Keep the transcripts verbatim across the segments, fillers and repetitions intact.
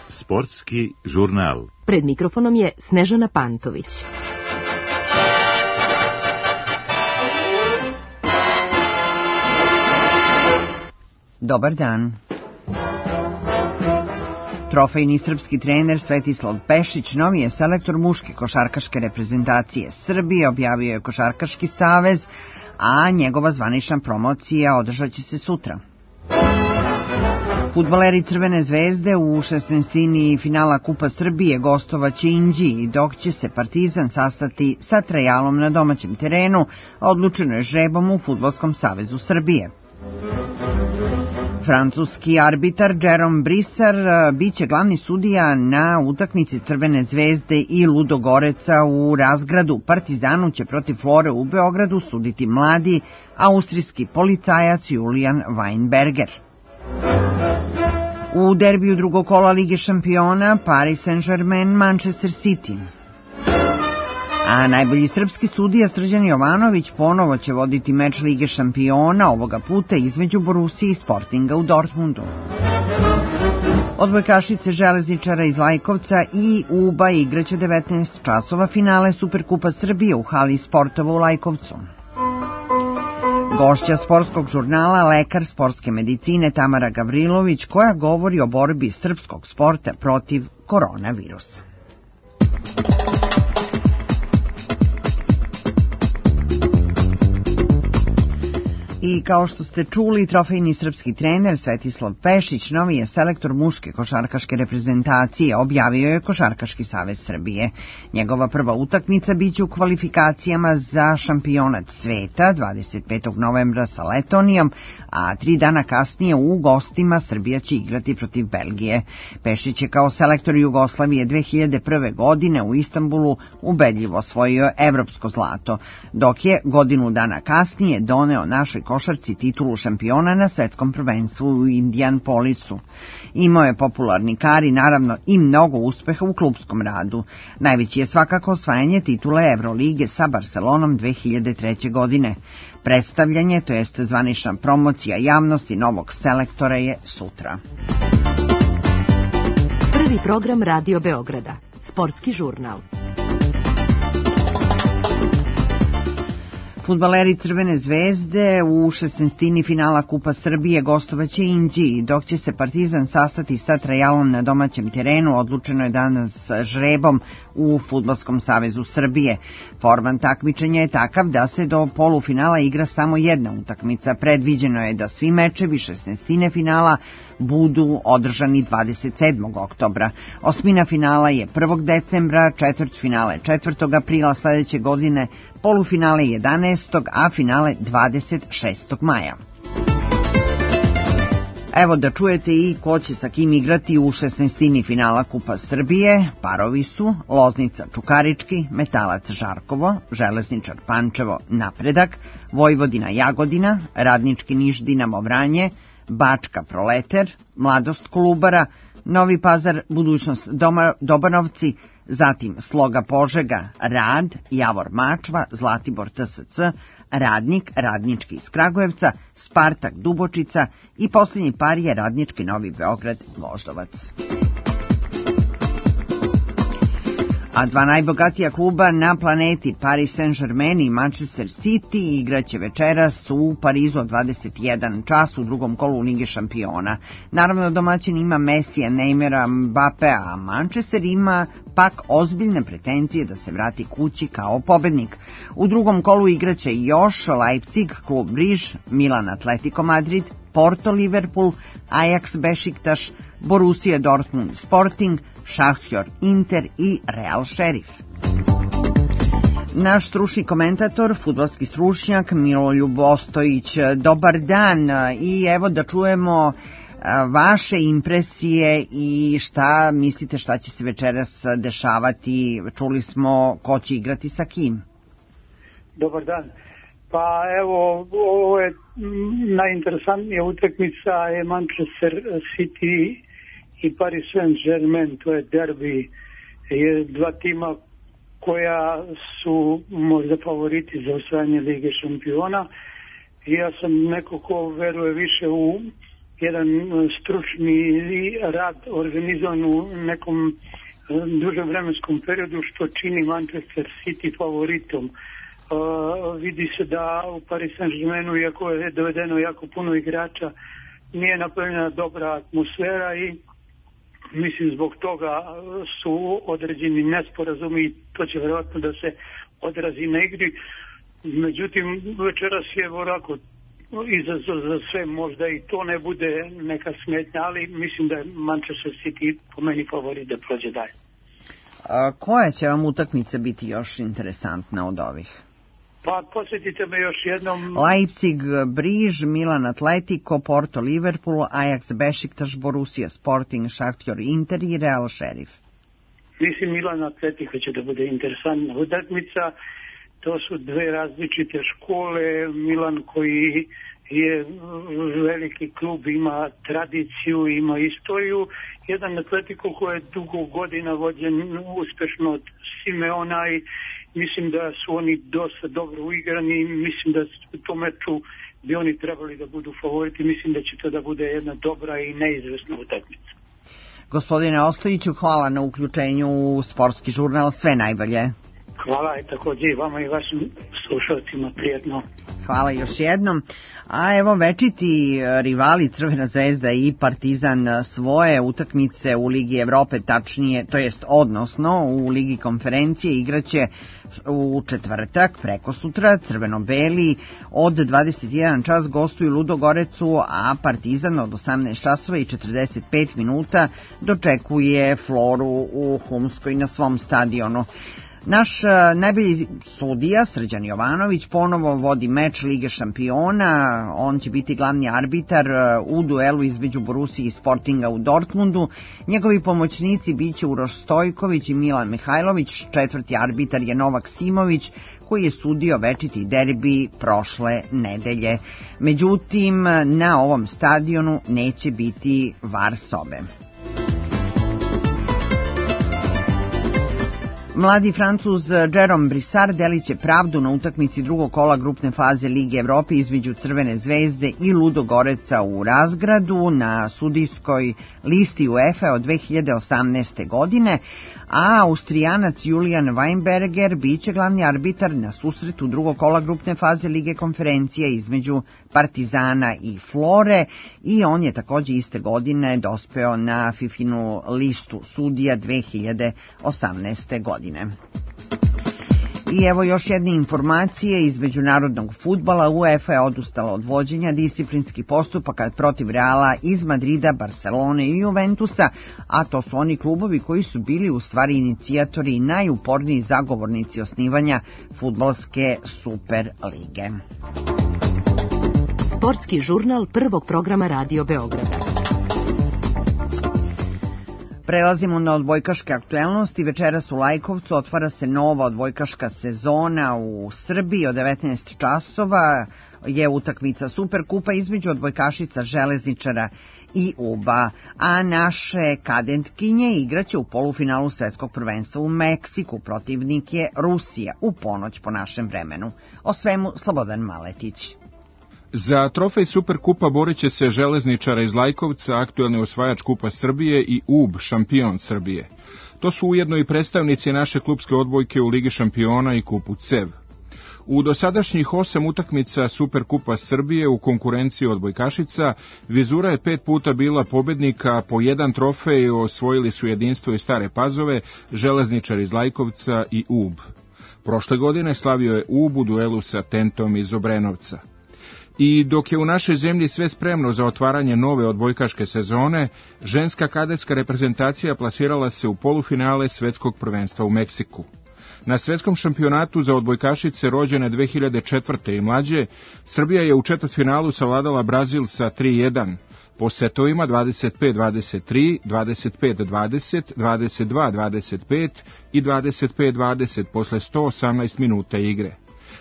Sportski žurnal. Pred mikrofonom je Snežana Pantović. Dobar dan. Trofejni srpski trener Svetislav Pešić novi je selektor muške košarkaške reprezentacije Srbije, objavio je Košarkaški savez, a njegova zvanična promocija održat će se sutra. Fudbaleri Crvene zvezde u šesnaestini finala Kupa Srbije gostovaće Inđiji, dok će se Partizan sastati sa Trajalom na domaćem terenu, odlučeno je žrebom u Fudbalskom savezu Srbije. Francuski arbitar Jérôme Brissar biće glavni sudija na utakmici Crvene zvezde i Ludogoreca u Razgradu. Partizanu će protiv Flore u Beogradu suditi mladi austrijski policajac Julian Weinberger. U derbiju drugog kola Lige šampiona Paris Saint-Germain Manchester City. A najbolji srpski sudija Srđan Jovanović ponovo će voditi meč Lige šampiona, ovoga puta između Borusije i Sportinga u Dortmundu. Odbojkašice železničara iz Lajkovca i Uba igraće devetnaest časova finale Superkupa Srbije u hali sportova u Lajkovcu. Gošća sportskog žurnala, lekar sportske medicine Tamara Gavrilović, koja govori o borbi srpskog sporta protiv koronavirusa. I kao što ste čuli, trofejni srpski trener Svetislav Pešić novi je selektor muške košarkaške reprezentacije, objavio je Košarkaški savez Srbije. Njegova prva utakmica biće u kvalifikacijama za šampionat sveta dvadeset petog novembra sa Letonijom, a tri dana kasnije u gostima Srbija će igrati protiv Belgije. Pešić je kao selektor Jugoslavije dve hiljade prve. godine u Istanbulu ubedljivo osvojio evropsko zlato, dok je godinu dana kasnije doneo našoj košarci titulu šampiona na svetskom prvenstvu u Indianapolisu. Imao je popularni kar i naravno i mnogo uspeha u klupskom radu. Najveći je svakako osvajanje titule Evrolige sa Barcelonom dve hiljade treće. godine. Predstavljanje, to jest zvanična promocija javnosti novog selektora je sutra. Prvi program Radio Beograda. Sportski žurnal. Fudbaleri Crvene zvezde u šesnaestini finala Kupa Srbije gostovaće Inđiji, dok će se Partizan sastati sa Trajalom na domaćem terenu, odlučeno je danas žrebom u Fudbalskom savezu Srbije. Forman takmičenja je takav da se do polufinala igra samo jedna utakmica. Predviđeno je da svi mečevi šesnaestine finala budu održani dvadeset sedmog oktobra. Osmina finala je prvog decembra, četvrtfinale četvrtog aprila sledeće godine, polufinale jedanaestog, a finale dvadeset šestog maja. Evo da čujete i ko će sa kim igrati u šesnaestini finala Kupa Srbije. Parovi su Loznica Čukarički, Metalac Žarkovo, Železničar Pančevo Napredak, Vojvodina Jagodina, Radnički Niš Dinamo Vranje, Bačka Proleter, Mladost Kolubara, Novi Pazar Budućnost Doma, Dobanovci, zatim Sloga Požega Rad, Javor Mačva, Zlatibor T S C, Radnik, Radnički iz Kragujevca, Spartak Dubočica i posljednji par je Radnički Novi Beograd Voždovac. A dva najbogatija kluba na planeti, Paris Saint-Germain i Manchester City, igraće večeras u Parizu od dvadeset jedan čas u drugom kolu Lige šampiona. Naravno, domaćin ima Mesija, Neymara, Mbappea, a Manchester ima pak ozbiljne pretenzije da se vrati kući kao pobednik. U drugom kolu igraće još Leipzig, Klub Briž, Milan Atletico Madrid, Porto Liverpool, Ajax Bešiktaš, Borussia Dortmund Sporting, Šahtjor Inter i Real Šerif. Naš stručni komentator, fudbalski stručnjak Miroljub Ostojić. Dobar dan i evo da čujemo vaše impresije i šta mislite šta će se večeras dešavati. Čuli smo ko će igrati sa kim. Dobar dan. Pa evo, ovo je najinteresantnija utakmica je Manchester City i Paris Saint-Germain, to je derbi, je dva tima koja su možda favoriti za osvajanje Lige šampiona. i ja sam neko ko veruje više u jedan stručni rad organizovan u nekom dužem vremenskom periodu, što čini Manchester City favoritom. Uh, vidi se da u Paris Saint-Germainu, iako je dovedeno jako puno igrača, nije napravljena dobra atmosfera i mislim zbog toga su određeni nesporazumi i to će vjerojatno da se odrazi na igri. Međutim, večeras je onako izazov za sve, možda i to ne bude neka smetnja, ali mislim da je Manchester City po meni favorit da prođe dalje. A koja će vam utakmica biti još interesantna od ovih? Pa posjetite me još jednom. Leipzig, Briž, Milan Atletico, Porto, Liverpool, Ajax, Bešiktaš, Borussia, Sporting, Šahtjor, Inter i Real Šerif. Mislim Milan Atletico će da bude interesantna utakmica. To su dve različite škole. Milan koji je veliki klub, ima tradiciju, ima istoriju. Jedan Atletico koji je dugo godina vođen uspešno od Simeona i mislim da su oni dosta dobro uigrani i mislim da u tom meču bi oni trebali da budu favoriti. Mislim da će to da bude jedna dobra i neizvesna utakmica. Gospodine Ostojiću, hvala na uključenju u Sportski žurnal. Sve najbolje. Hvala i također i vama i vašim slušalcima prijetno. Hvala još jednom. A evo večiti rivali Crvena zvezda i Partizan svoje utakmice u Ligi Evrope, tačnije, to jest odnosno u Ligi konferencije igraće u četvrtak, preko sutra. Crveno-beli od dvadeset jedan čas gostuju Ludogorecu, a Partizan od osamnaest časova i četrdeset pet minuta dočekuje Floru u Humskoj na svom stadionu. Naš najbolji sudija, Srđan Jovanović, ponovo vodi meč Lige šampiona. On će biti glavni arbitar u duelu između Borussije i Sportinga u Dortmundu. Njegovi pomoćnici biće Uroš Stojković i Milan Mihajlović. Četvrti arbitar je Novak Simović, koji je sudio večiti derbi prošle nedelje. Međutim, na ovom stadionu neće biti var sobe. Mladi Francuz Jérôme Brissard delit će pravdu na utakmici drugog kola grupne faze Lige Evrope između Crvene zvezde i Ludogoreca u Razgradu na sudijskoj listi UEFA od dve hiljade osamnaeste. godine, a Austrijanac Julian Weinberger biće glavni arbitar na susretu drugog kola grupne faze Lige konferencije između Partizana i Flore i on je također iste godine dospeo na Fifinu listu sudija dve hiljade osamnaeste. godine. I evo još jedne informacije iz međunarodnog fudbala. UEFA je odustala od vođenja disciplinskih postupaka protiv Reala iz Madrida, Barcelone i Juventusa, a to su oni klubovi koji su bili u stvari inicijatori i najuporniji zagovornici osnivanja fudbalske Super lige. Sportski žurnal prvog programa Radio Beograda. Prelazimo na odbojkaške aktuelnosti. Večeras u Lajkovcu otvara se nova odbojkaška sezona u Srbiji. Od devetnaest časova je utakmica Superkupa između odbojkašica Železničara i Uba, a naše kadetkinje igraće u polufinalu svetskog prvenstva u Meksiku. Protivnik je Rusija u ponoć po našem vremenu. O svemu Slobodan Maletić. Za trofej Superkupa borit će se Železničara iz Lajkovca, aktuelni osvajač Kupa Srbije, i U B, šampion Srbije. To su ujedno i predstavnici naše klupske odbojke u Ligi šampiona i Kupu C E V. U dosadašnjih osam utakmica Superkupa Srbije u konkurenciji odbojkašica, Vizura je pet puta bila pobednika, a po jedan trofej osvojili su Jedinstvo i Stare Pazove, Železničar iz Lajkovca i U B. Prošle godine slavio je U B u duelu sa Tentom iz Obrenovca. I dok je u našoj zemlji sve spremno za otvaranje nove odbojkaške sezone, ženska kadetska reprezentacija plasirala se u polufinale svetskog prvenstva u Meksiku. Na svetskom šampionatu za odbojkašice rođene dve hiljade četvrte. i mlađe, Srbija je u četvrtfinalu savladala Brazil sa tri jedan. Po setovima dvadeset pet dvadeset tri, dvadeset pet dvadeset, dvadeset dva dvadeset pet i dvadeset pet dvadeset posle sto osamnaest minuta igre.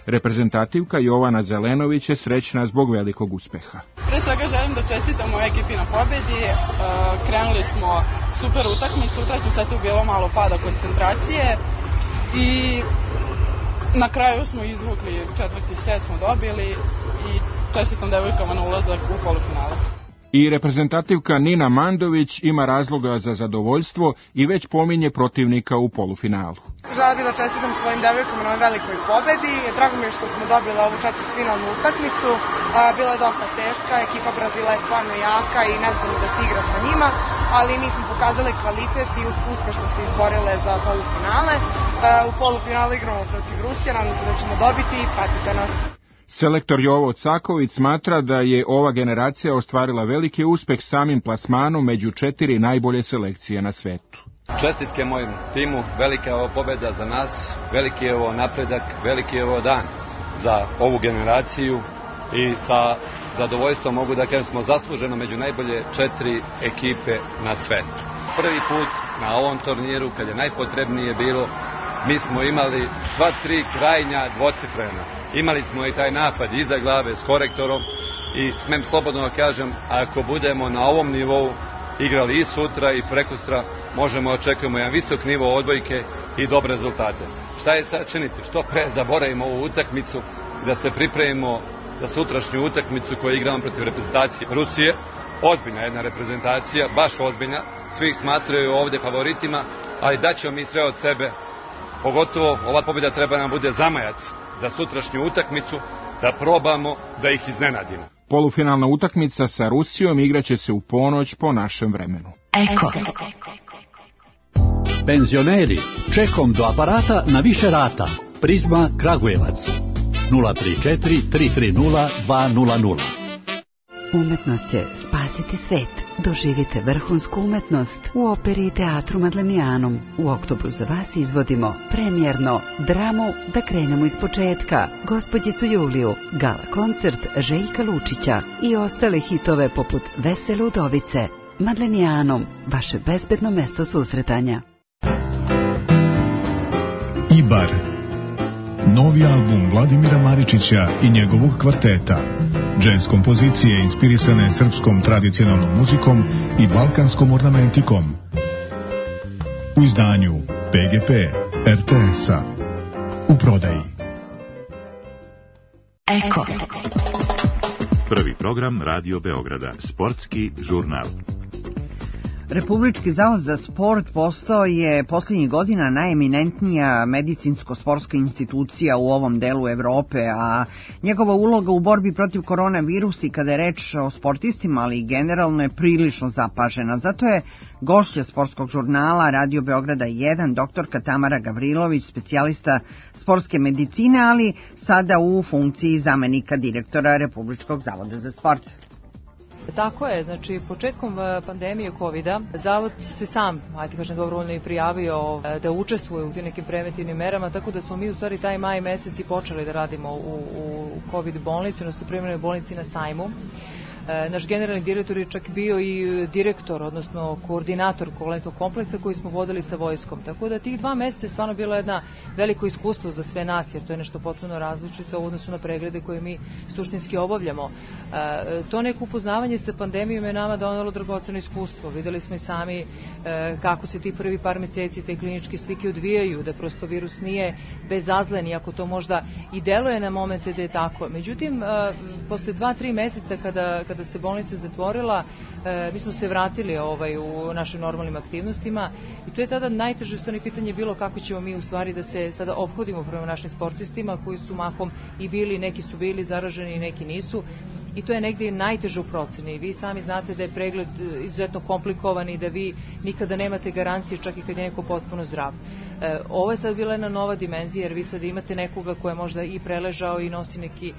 Reprezentativka Jovana Zelenović je srećna zbog velikog uspeha. Pre svega želim da čestitam mojoj ekipi na pobedi. E, krenuli smo super utakmicu, u trećem setu je bilo malo pada koncentracije i na kraju smo izvukli četvrti set, smo dobili i čestitam devojkama na ulazak u polufinale. I reprezentativka Nina Mandović ima razloga za zadovoljstvo i već pominje protivnika u polufinalu. Želela bih da čestitam svojim devojkama na velikoj pobedi. Drago mi je što smo dobili ovu četvrtfinalnu utakmicu. Bila je dosta teška, ekipa Brazila je stvarno jaka i ne znam da se igra sa njima, ali mi smo pokazali kvalitet i uspešno se izborile za polufinale. U polufinalu igramo protiv Rusije, nadam se da ćemo dobiti i pratite nas. Selektor Jovo Caković smatra da je ova generacija ostvarila veliki uspeh samim plasmanom među četiri najbolje selekcije na svetu. Čestitke mojim timu, velika je ovo pobjeda za nas, veliki je ovo napredak, veliki je ovo dan za ovu generaciju i sa zadovoljstvom mogu da kažem smo zasluženo među najbolje četiri ekipe na svetu. Prvi put na ovom turniru, kad je najpotrebnije bilo, mi smo imali sva tri krajnja dvocifrena. Imali smo i taj napad iza glave s korektorom i smem slobodno da kažem, ako budemo na ovom nivou igrali i sutra i prekosutra, možemo očekujemo jedan visok nivo odbojke i dobre rezultate. Šta je sad činiti? Što pre zaboravimo ovu utakmicu i da se pripremimo za sutrašnju utakmicu koju igramo protiv reprezentacije Rusije. Ozbiljna jedna reprezentacija, baš ozbiljna. Svi ih smatraju ovdje favoritima, ali daćemo mi sve od sebe. Pogotovo ova pobjeda treba nam bude zamajac za sutrašnju utakmicu, da probamo da ih iznenadimo. Polufinalna utakmica sa Rusijom igraće se u ponoć po našem vremenu. Eko. Penzioneri, čekom do aparata na više rata. Prizma Kragujevac. nula tri četiri tri tri nula dva nula nula. Umetnost će spasiti svet. Doživite vrhunsku umetnost u operi i teatru Madlenijanom. U oktobru za vas izvodimo premijerno dramu Da krenemo iz početka, Gospođicu Juliju, gala koncert Željka Lučića i ostale hitove poput Vesele udovice. Madlenijanom, vaše bezbedno mesto susretanja. Ibar. Novi album Vladimira Maričića i njegovog kvarteta. Džez kompozicije inspirisane srpskom tradicionalnom muzikom i balkanskom ornamentikom. U izdanju P G P R T S-a. U prodaji. Eko. Prvi program Radio Beograda. Sportski žurnal. Republički zavod za sport postao je posljednjih godina najeminentnija medicinsko-sportska institucija u ovom delu Evrope, a njegova uloga u borbi protiv koronavirusa i kada je reč o sportistima, ali i generalno je prilično zapažena. Zato je gošća sportskog žurnala Radio Beograda jedan, doktorka Tamara Gavrilović, specijalista sportske medicine, ali sada u funkciji zamenika direktora Republičkog zavoda za sport. Tako je, znači početkom pandemije kovida Zavod se sam, ajde kažem dobrovoljno i prijavio da učestvuje u tim nekim preventivnim merama, tako da smo mi u stvari taj maj mesec i počeli da radimo u, u COVID bolnici, odnosno privremenoj bolnici na Sajmu. Naš generalni direktor je čak bio i direktor, odnosno koordinator kompletnog kompleksa koji smo vodili sa vojskom. Tako da tih dva meseca je stvarno bilo jedno veliko iskustvo za sve nas, jer to je nešto potpuno različito u odnosu na preglede koje mi suštinski obavljamo. To neko upoznavanje sa pandemijom je nama donelo dragoceno iskustvo. Videli smo i sami kako se ti prvi par meseci te kliničke slike odvijaju, da prosto virus nije bezazlen, iako to možda i deluje na momente da je tako. Međutim, posle dva, tri meseca kada kada se bolnica zatvorila, e, mi smo se vratili ovaj, u našim normalnim aktivnostima i to je tada najteže stvarno pitanje bilo kako ćemo mi u stvari da se sada ophodimo prema našim sportistima koji su mahom i bili, neki su bili zaraženi i neki nisu. I to je negdje najteže u proceni. Vi sami znate da je pregled izuzetno komplikovan i da vi nikada nemate garancije čak i kad je neko potpuno zdrav. E, ovo je sad bila jedna nova dimenzija jer vi sad imate nekoga ko je možda i preležao i nosi neki e,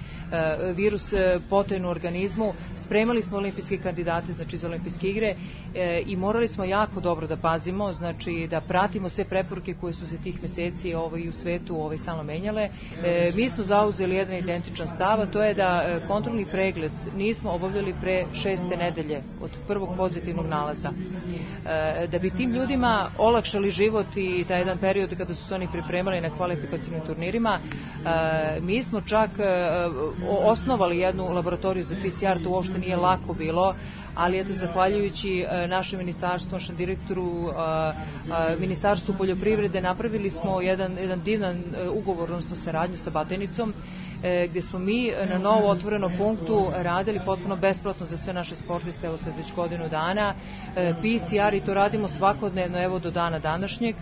virus e, potajnu u organizmu. Spremali smo olimpijske kandidate, znači za olimpijske igre e, i morali smo jako dobro da pazimo, znači da pratimo sve preporuke koje su se tih meseci ovaj, u svetu ovaj, stalno menjale. E, mi smo zauzeli jedan identičan stav, a to je da e, kontrolni pregled nismo obavljali pre šeste nedelje od prvog pozitivnog nalaza. E, da bi tim ljudima olakšali život i taj jedan period kada su se oni pripremali na kvalifikacijnim turnirima, e, mi smo čak e, osnovali jednu laboratoriju za P C R, to uopšte nije lako bilo, ali eto, zahvaljujući e, našem ministarstvu, našem direktoru, e, e, Ministarstvu poljoprivrede, napravili smo jedan, jedan divan e, ugovor, odnosno saradnju sa Batajnicom, gdje smo mi na novo otvorenom punktu radili potpuno besplatno za sve naše sportiste, evo sad već godinu dana, P C R i to radimo svakodnevno, evo do dana današnjeg.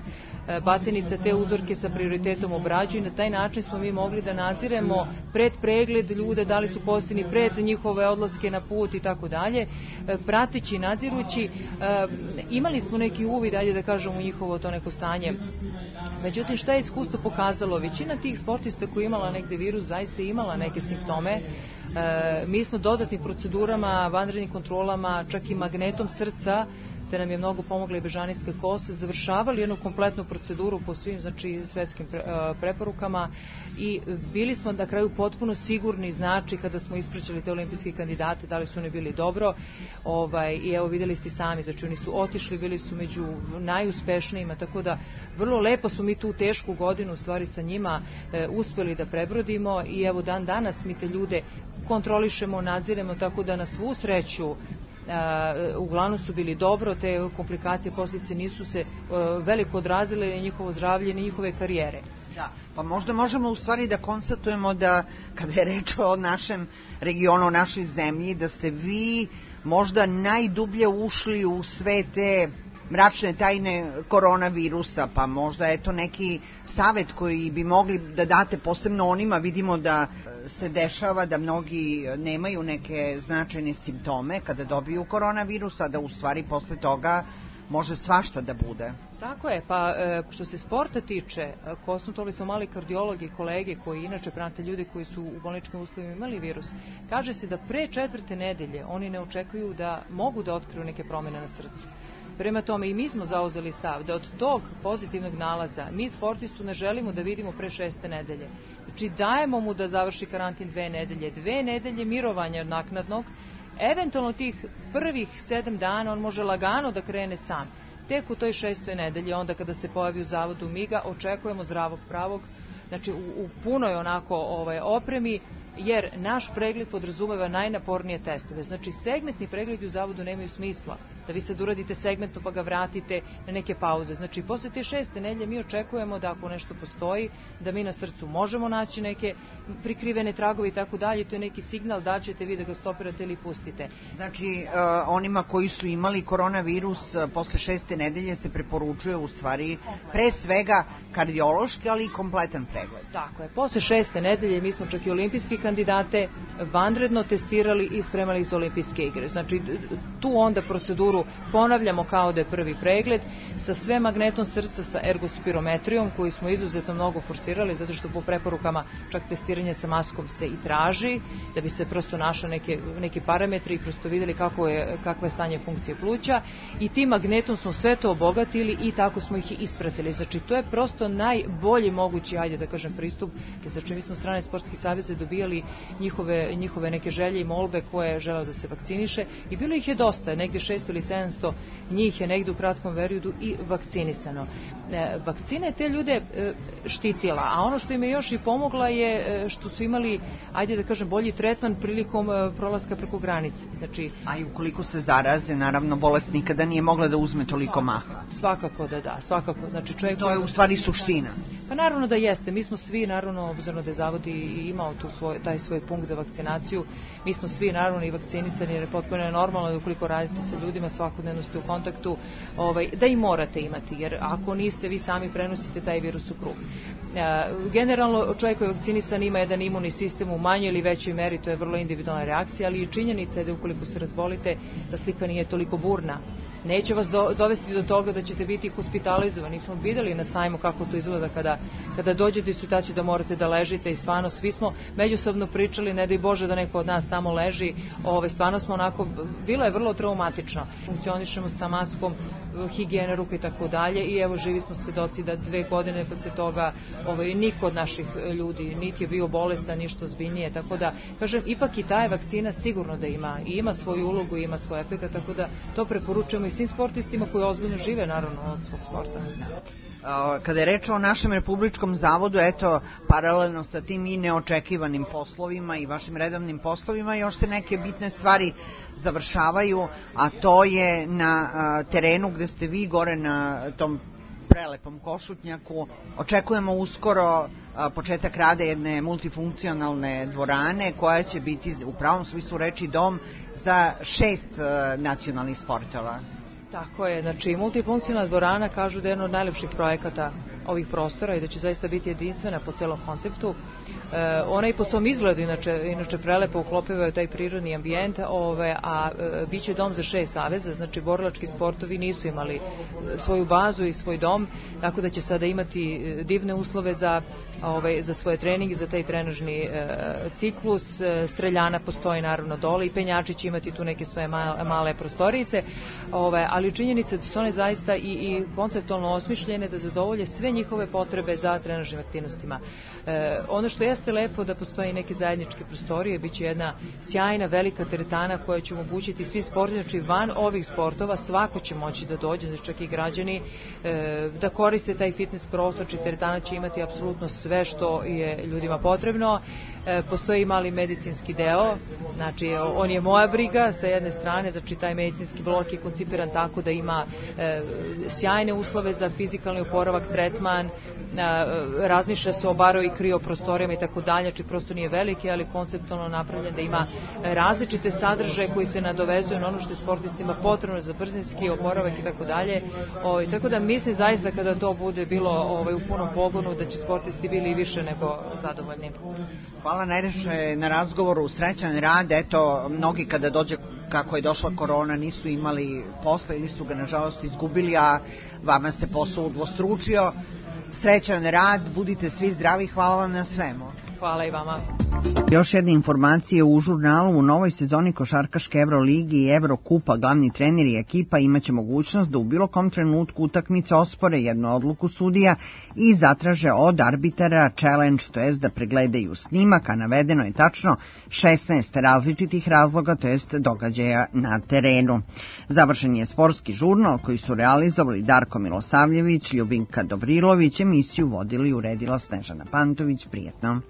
Batenica te uzorke sa prioritetom obrađuje i na taj način smo mi mogli da nadziremo pred pregled ljude, da li su pozitivni pred njihove odlaske na put i tako dalje, prateći i nadzirući. Imali smo neki uvid, ajde da kažemo, u njihovo to neko stanje. Međutim, šta je iskustvo pokazalo? Većina tih sportista koji je imala negde virus zaista je imala neke simptome. Mi smo dodatnim procedurama, vanrednim kontrolama, čak i magnetom srca, te nam je mnogo pomogla i bežanijska kosa, završavali jednu kompletnu proceduru po svim, znači, svetskim pre, preporukama i bili smo na kraju potpuno sigurni, znači, kada smo ispraćali te olimpijske kandidate, da li su oni bili dobro, ovaj, i evo videli ste sami, znači oni su otišli, bili su među najuspešnijima, tako da vrlo lepo su mi tu tešku godinu u stvari sa njima e, uspeli da prebrodimo i evo dan danas mi te ljude kontrolišemo, nadziremo, tako da na svu sreću Uh, uglavnom su bili dobro, te komplikacije, posljedice nisu se uh, veliko odrazile ni njihovo zdravlje, ni njihove karijere. Da, pa možda možemo u stvari da konstatujemo da kada je reč o našem regionu, o našoj zemlji, da ste vi možda najdublje ušli u sve te mračne tajne koronavirusa, pa možda je to neki savet koji bi mogli da date posebno onima, vidimo da se dešava da mnogi nemaju neke značajne simptome kada dobiju koronavirus, a da u stvari posle toga može svašta da bude. Tako je, pa što se sporta tiče, konsultovali smo mali kardiologi i kolege koji inače prate ljudi koji su u bolničkim uslovima imali virus. Kaže se da pre četvrte nedelje oni ne očekuju da mogu da otkriju neke promene na srcu. Prema tome i mi smo zauzeli stav da od tog pozitivnog nalaza mi sportistu ne želimo da vidimo pre šeste nedelje. Znači dajemo mu da završi karantin dve nedelje, dve nedelje mirovanja naknadnog, eventualno tih prvih sedam dana on može lagano da krene sam. Tek u toj šestoj nedelji, onda kada se pojavi u zavodu mi ga očekujemo zdravog pravog, znači u, u punoj onako ovaj, opremi, jer naš pregled podrazumeva najnapornije testove. Znači segmentni pregledi u zavodu nemaju smisla da vi sad uradite segmentno pa ga vratite na neke pauze. Znači posle te šeste nedelje mi očekujemo da ako nešto postoji, da mi na srcu možemo naći neke prikrivene tragove i tako dalje, to je neki signal da ćete vi da ga stopirate ili pustite. Znači uh, onima koji su imali koronavirus uh, posle šeste nedelje se preporučuje u stvari pre svega kardiološki, ali i kompletan pregled. Tako je, posle šeste nedelje mi smo čak i olimpijski kandidate vanredno testirali i spremali za olimpijske igre. Znači tu onda proceduru ponavljamo kao da je prvi pregled sa sve magnetom srca, sa ergospirometrijom koju smo izuzetno mnogo forsirali zato što po preporukama čak testiranje sa maskom se i traži da bi se prosto našao neke, neki parametri i prosto videli kako je, kakva je stanje funkcije pluća i tim magnetom smo sve to obogatili i tako smo ih i ispratili. Znači to je prosto najbolji mogući, ajde da kažem, pristup. Znači mi smo strane sportskih saveza dobijali njihove, njihove neke želje i molbe koje želeo da se vakciniše i bilo ih je dosta, negde šesto ili sedamsto njih je negde u kratkom periodu i vakcinisano. E, vakcina je te ljude e, štitila, a ono što im je još i pomogla je e, što su imali, ajde da kažem, bolji tretman prilikom e, prolaska preko granice. Znači, a i ukoliko se zaraze, naravno bolest nikada nije mogla da uzme toliko maha. Svakako da da, svakako. Znači, čovjek to je u stvari suština. Pa naravno da jeste, mi smo svi, naravno, obzirom da je Zavod i imao tu svoj, taj svoj punkt za vakcinaciju, mi smo svi naravno i vakcinisani jer je potpuno normalno da ukoliko radite sa ljudima svakodnevno ste u kontaktu, ovaj, da i morate imati, jer ako niste vi sami prenosite taj virus u krug. E, generalno čovjek koji je vakcinisan ima jedan imunni sistem u manjoj ili većoj meri, to je vrlo individualna reakcija, ali i činjenica je da ukoliko se razbolite da slika nije toliko burna. Neće vas do, dovesti do toga da ćete biti hospitalizovani. Smo videli na sajmu kako to izgleda kada, kada dođete u situaciju da morate da ležite i stvarno svi smo međusobno pričali, ne daj Bože da neko od nas tamo leži, ove, stvarno smo onako, bilo je vrlo traumatično. Funkcionišemo sa maskom, higijene ruke i tako dalje i evo živi smo svedoci da dve godine posle toga ovaj, niko od naših ljudi niti je bio bolestan, ništa ozbiljnije, tako da, kažem, ipak i ta je vakcina sigurno da ima i ima svoju ulogu i ima svoj efekat, tako da to preporučujemo i svim sportistima koji ozbiljno žive naravno od svog sporta. Kada je reč o našem republičkom zavodu, eto, paralelno sa tim i neočekivanim poslovima i vašim redovnim poslovima, još se neke bitne stvari završavaju, a to je na terenu gde ste vi gore na tom prelepom Košutnjaku. Očekujemo uskoro početak rada jedne multifunkcionalne dvorane koja će biti u pravom smislu reči dom za šest nacionalnih sportova. Tako je, znači multifunkcionalna dvorana kažu da je jedno od najlepših projekata ovih prostora i da će zaista biti jedinstvena po celom konceptu. E, ona i po svom izgledu inače, inače prelepo uklopivaju taj prirodni ambijent, ove, a e, bit će dom za šest saveza, znači borilački sportovi nisu imali svoju bazu i svoj dom, tako da će sada imati divne uslove za, ove, za svoje treninge, za taj trenažni e, ciklus. E, streljana postoji naravno dole i penjači će imati tu neke svoje male, male prostorice, ove, ali činjenica da su one zaista i, i konceptualno osmišljene da zadovolje sve njihove potrebe za trenažnim aktivnostima. E, ono što jeste lepo da postoji neke zajedničke prostorije, bit će jedna sjajna velika teretana koja će omogućiti svi sportovi, znači van ovih sportova svako će moći da dođe, znači čak i građani, e, da koriste taj fitness prostor, či teretana će imati apsolutno sve što je ljudima potrebno. E, postoji mali medicinski deo, znači on je moja briga sa jedne strane, znači taj medicinski blok je koncipiran tako da ima e, sjajne uslove za fizikalni oporavak, tretman, e, razmišlja se o baro i krioprostorijama i tako dalje, znači prosto nije veliki, ali konceptualno napravljen da ima različite sadržaje koji se nadovezuju na ono što je sportistima potrebno za brzinski oporavak i tako dalje. O, tako da mislim zaista kada to bude bilo ovaj, u punom pogonu da će sportisti bili više nego zadovoljni. Hvala najviše na razgovoru, srećan rad, eto, mnogi kada dođe kako je došla korona nisu imali posla ili su ga nažalost izgubili, a vama se posao udvostručio. Srećan rad, budite svi zdravi, hvala vam na svemu. Hvala i vama. Još jedne informacije u žurnalu. U novoj sezoni košarkaške Euroligi i Evrokupa glavni trener i ekipa imaće mogućnost da u bilo kom trenutku utakmice ospore jednu odluku sudija i zatraže od arbitara challenge, to jest da pregledaju snimak, a navedeno je tačno šesnaest različitih razloga, to jest događaja na terenu. Završen je sportski žurnal koji su realizovali Darko Milosavljević, Ljubinka Dovrilović, emisiju vodili i uredila Snežana Pantović. Prijetno.